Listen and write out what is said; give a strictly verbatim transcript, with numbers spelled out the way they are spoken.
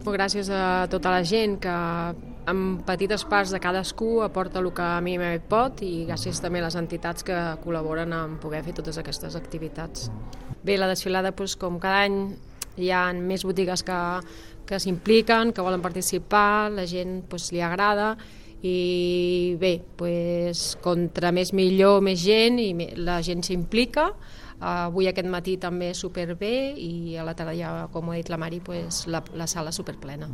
Gràcies a tota la gent que amb petites parts de cadascú aporta el que a mi pot i gràcies també a les entitats que col·laboren en poder fer totes aquestes activitats. Bé, la desfilada, doncs, com cada any, hi ha més botigues que, que s'impliquen, que volen participar, la gent doncs, li agrada i bé, doncs, contra més millor, més gent i la gent s'implica. Avui aquest matí també superbé i a la tarda, ja, com ho ha dit la Mari, pues, la, la sala superplena.